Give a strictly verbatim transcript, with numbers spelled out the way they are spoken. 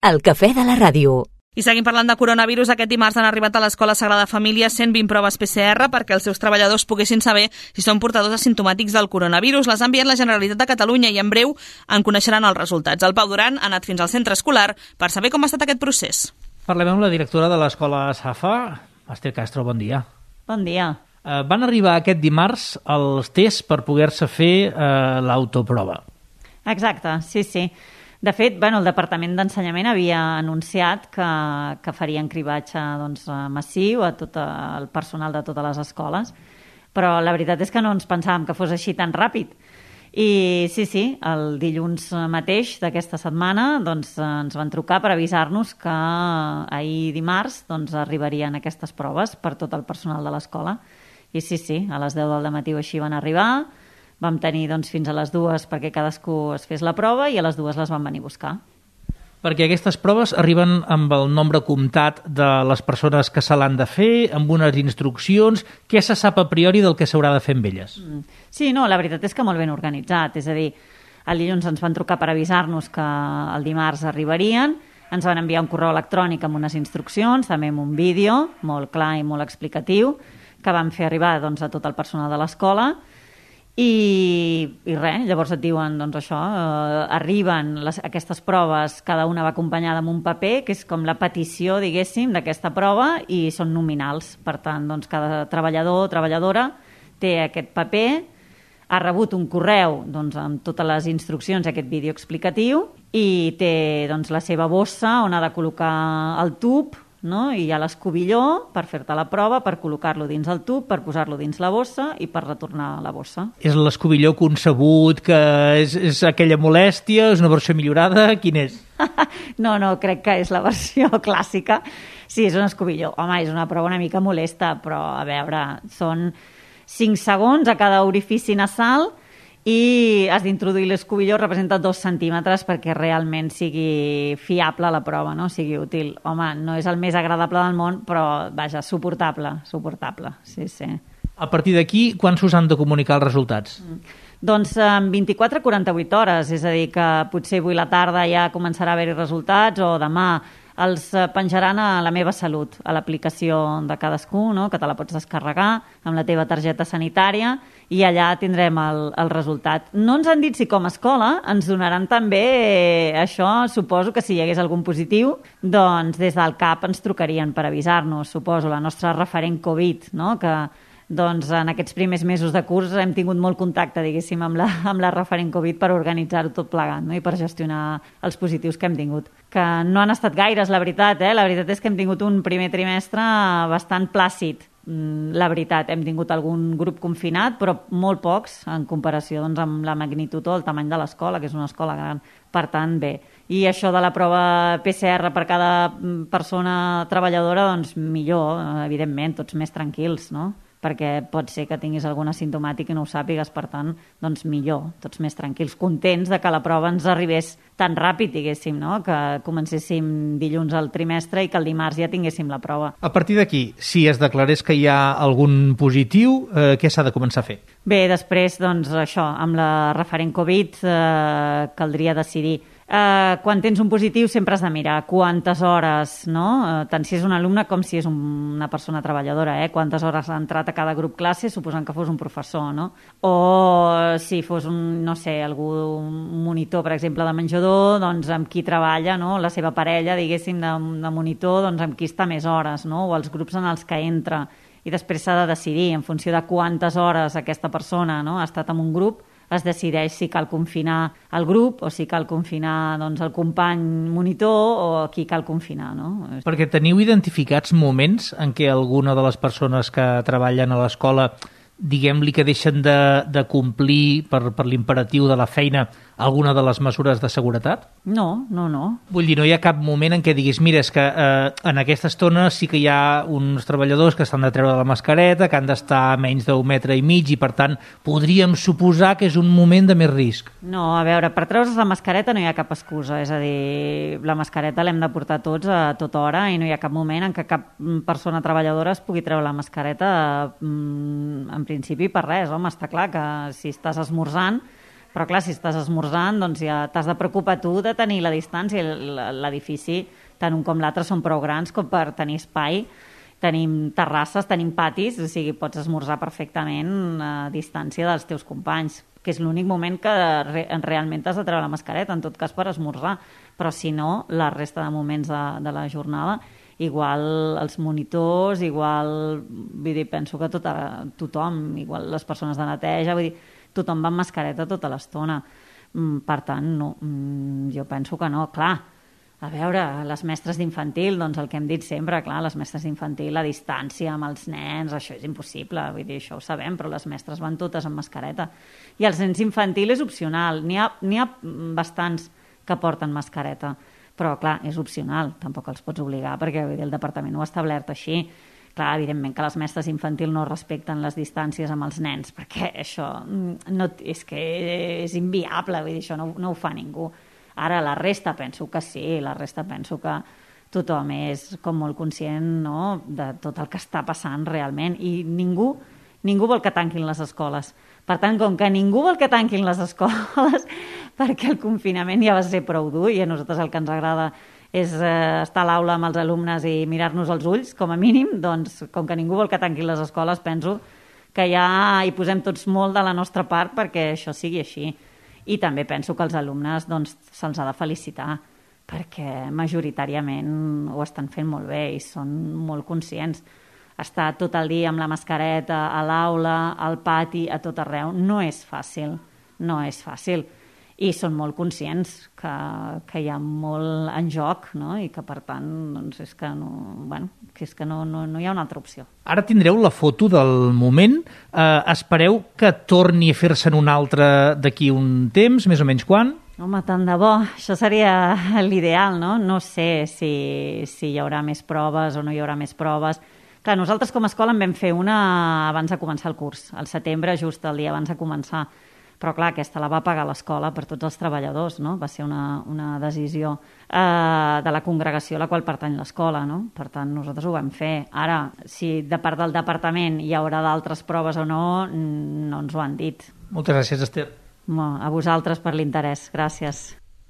El cafè de la ràdio. I seguim parlant de coronavirus. Aquest dimarts han arribat a l'Escola Sagrada Família cent vint proves P C R perquè els seus treballadors poguessin saber si són portadors asimptomàtics del coronavirus. Les ha enviat la Generalitat de Catalunya i en breu en coneixeran els resultats. El Pau Duran ha anat fins al centre escolar per saber com ha estat aquest procés. Parlem amb la directora de l'Escola Safa, Esther Castro, bon dia. Bon dia. Eh, van arribar aquest dimarts els tests per poder-se fer eh, l'autoprova. Exacte, sí, sí. De fet, bueno, el Departament d'Ensenyament havia anunciat que, que farien cribatge doncs, massiu a tot el personal de totes les escoles, però la veritat és que no ens pensàvem que fos així tan ràpid. I sí, sí, el dilluns mateix d'aquesta setmana doncs, ens van trucar per avisar-nos que ahir dimarts doncs, arribarien aquestes proves per tot el personal de l'escola. I sí, sí, a les deu del matí o així van arribar. Vam tenir doncs, fins a les dues perquè cadascú es fes la prova i a les dues les van venir a buscar. Perquè aquestes proves arriben amb el nombre comptat de les persones que se l'han de fer, amb unes instruccions. Què se sap a priori del que s'haurà de fer amb elles? Sí, no, la veritat és que molt ben organitzat. És a dir, el dilluns ens van trucar per avisar-nos que el dimarts arribarien, ens van enviar un correu electrònic amb unes instruccions, també amb un vídeo molt clar i molt explicatiu, que vam fer arribar doncs, a tot el personal de l'escola. I, i res, llavors et diuen doncs això, eh, arriben les, aquestes proves, cada una va acompanyada amb un paper que és com la petició, diguéssim, d'aquesta prova i són nominals. Per tant, doncs, cada treballador o treballadora té aquest paper, ha rebut un correu doncs, amb totes les instruccions, aquest vídeo explicatiu, i té doncs, la seva bossa on ha de col·locar el tub, no? I hi ha l'escobilló per fer-te la prova, per col·locar-lo dins el tub, per posar-lo dins la bossa i per retornar la bossa. És l'escobilló concebut, que és, és aquella molèstia, és una versió millorada? Quin és? No, no, crec que és la versió clàssica. Sí, és un escobilló. Home, és una prova una mica molesta, però a veure, són cinc segons a cada orifici nasal i has d'introduir l'escobilló, representa dos centímetres perquè realment sigui fiable la prova, no? Sigui útil. Home, no és el més agradable del món, però, vaja, suportable, suportable, sí, sí. A partir d'aquí, quan s'us han de comunicar els resultats? Mm. Doncs en vint-i-quatre a quaranta-vuit hores, és a dir, que potser avui a la tarda ja començarà a haver-hi resultats o demà els penjaran a La Meva Salut, a l'aplicació de cadascú, no? Que te la pots descarregar amb la teva targeta sanitària i allà tindrem el, el resultat. No ens han dit si com a escola ens donaran també eh, això, suposo que si hi hagués algun positiu, doncs des del C A P ens trucarien per avisar-nos, suposo, la nostra referent Covid, no? Que doncs en aquests primers mesos de curs hem tingut molt contacte, diguéssim, amb la, amb la referent Covid per organitzar-ho tot plegat, no? I per gestionar els positius que hem tingut. Que no han estat gaires, la veritat, eh? La veritat és que hem tingut un primer trimestre bastant plàcid. La veritat, hem tingut algun grup confinat, però molt pocs en comparació doncs, amb la magnitud o el tamany de l'escola, que és una escola gran. Per tant, bé. I això de la prova P C R per cada persona treballadora, doncs millor, evidentment, tots més tranquils, no? Perquè pot ser que tinguis algun asimptomàtic i no ho sàpigues, per tant, doncs millor, tots més tranquils, contents de que la prova ens arribés tan ràpid, diguéssim, no? Que comencéssim dilluns al trimestre i que el dimarts ja tinguéssim la prova. A partir d'aquí, si es declarés que hi ha algun positiu, eh, què s'ha de començar a fer? Bé, després, doncs, això, amb la referent Covid eh, caldria decidir. Uh, quan tens un positiu sempre has de mirar quantes hores, no? Uh, tant si és un alumne com si és un, una persona treballadora, eh? Quantes hores ha entrat a cada grup classe, suposant que fos un professor, no? O si fos un, no sé, algú, un monitor, per exemple, de menjador, doncs amb qui treballa, no? La seva parella, diguéssim, de, de monitor, doncs amb qui està més hores, no? O els grups en els que entra. I després s'ha de decidir, en funció de quantes hores aquesta persona, no? Ha estat en un grup, es decideix si cal confinar el grup o si cal confinar doncs, el company monitor o qui cal confinar, no? Perquè teniu identificats moments en què alguna de les persones que treballen a l'escola, diguem-li que deixen de, de complir per, per l'imperatiu de la feina alguna de les mesures de seguretat? No, no, no. Vull dir, no hi ha cap moment en què diguis, mira, és que eh, en aquesta estona sí que hi ha uns treballadors que s'han de treure la mascareta, que han d'estar a menys d'un metre i mig i, per tant, podríem suposar que és un moment de més risc. No, a veure, per treure's la mascareta no hi ha cap excusa, és a dir, la mascareta l'hem de portar tots a tota hora i no hi ha cap moment en què cap persona treballadora es pugui treure la mascareta en principi per res, home, està clar que si estàs esmorzant Però clar, si estàs esmorzant, doncs ja t'has de preocupar tu de tenir la distància. L'edifici, tant un com l'altre, són prou grans com per tenir espai. Tenim terrasses, tenim patis, o sigui, pots esmorzar perfectament a distància dels teus companys, que és l'únic moment que re realment has de treure la mascareta, en tot cas per esmorzar. Però si no, la resta de moments de, de la jornada, igual els monitors, igual, vull dir, penso que tota, tothom, igual les persones de neteja, vull dir, tothom va amb mascareta tota l'estona. Per tant, no, jo penso que no. Clar, a veure, les mestres d'infantil, doncs el que hem dit sempre, clar, les mestres d'infantil, la distància amb els nens, això és impossible, vull dir, això ho sabem, però les mestres van totes amb mascareta. I els nens infantil és opcional, n'hi ha, n'hi ha bastants que porten mascareta, però clar, és opcional, tampoc els pots obligar, perquè vull dir, el departament ho ha establert així. Clar, evidentment que les mestres infantil no respecten les distàncies amb els nens, perquè això no, és que és inviable, vull dir, això no, no ho fa ningú. Ara, la resta penso que sí, la resta penso que tothom és com molt conscient, no?, de tot el que està passant realment, i ningú, ningú vol que tanquin les escoles. Per tant, com que ningú vol que tanquin les escoles, perquè el confinament ja va ser prou dur, i a nosaltres el que ens agrada és eh, estar a l'aula amb els alumnes i mirar-nos als ulls, com a mínim, doncs, com que ningú vol que tanquin les escoles, penso que ja hi posem tots molt de la nostra part perquè això sigui així. I també penso que els alumnes doncs, se'ls ha de felicitar, perquè majoritàriament ho estan fent molt bé i són molt conscients. Estar tot el dia amb la mascareta, a l'aula, al pati, a tot arreu, no és fàcil, no és fàcil. I són molt conscients que, que hi ha molt en joc, no? I que, per tant, doncs és que, no, bueno, que, és que no, no, no hi ha una altra opció. Ara tindreu la foto del moment. Eh, espereu que torni a fer-se'n un altre d'aquí un temps, més o menys quan? Home, tant de bo. Això seria l'ideal, no? No sé si, si hi haurà més proves o no hi haurà més proves. Clar, nosaltres com a escola en vam fer una abans de començar el curs, al setembre, just el dia abans de començar. Però clar, aquesta la va pagar l'escola per tots els treballadors, no? Va ser una, una decisió eh, de la congregació a la qual pertany l'escola, no? Per tant, nosaltres ho vam fer. Ara, si de part del departament hi haurà d'altres proves o no, no ens ho han dit. Moltes gràcies, Esther. A vosaltres per l'interès. Gràcies.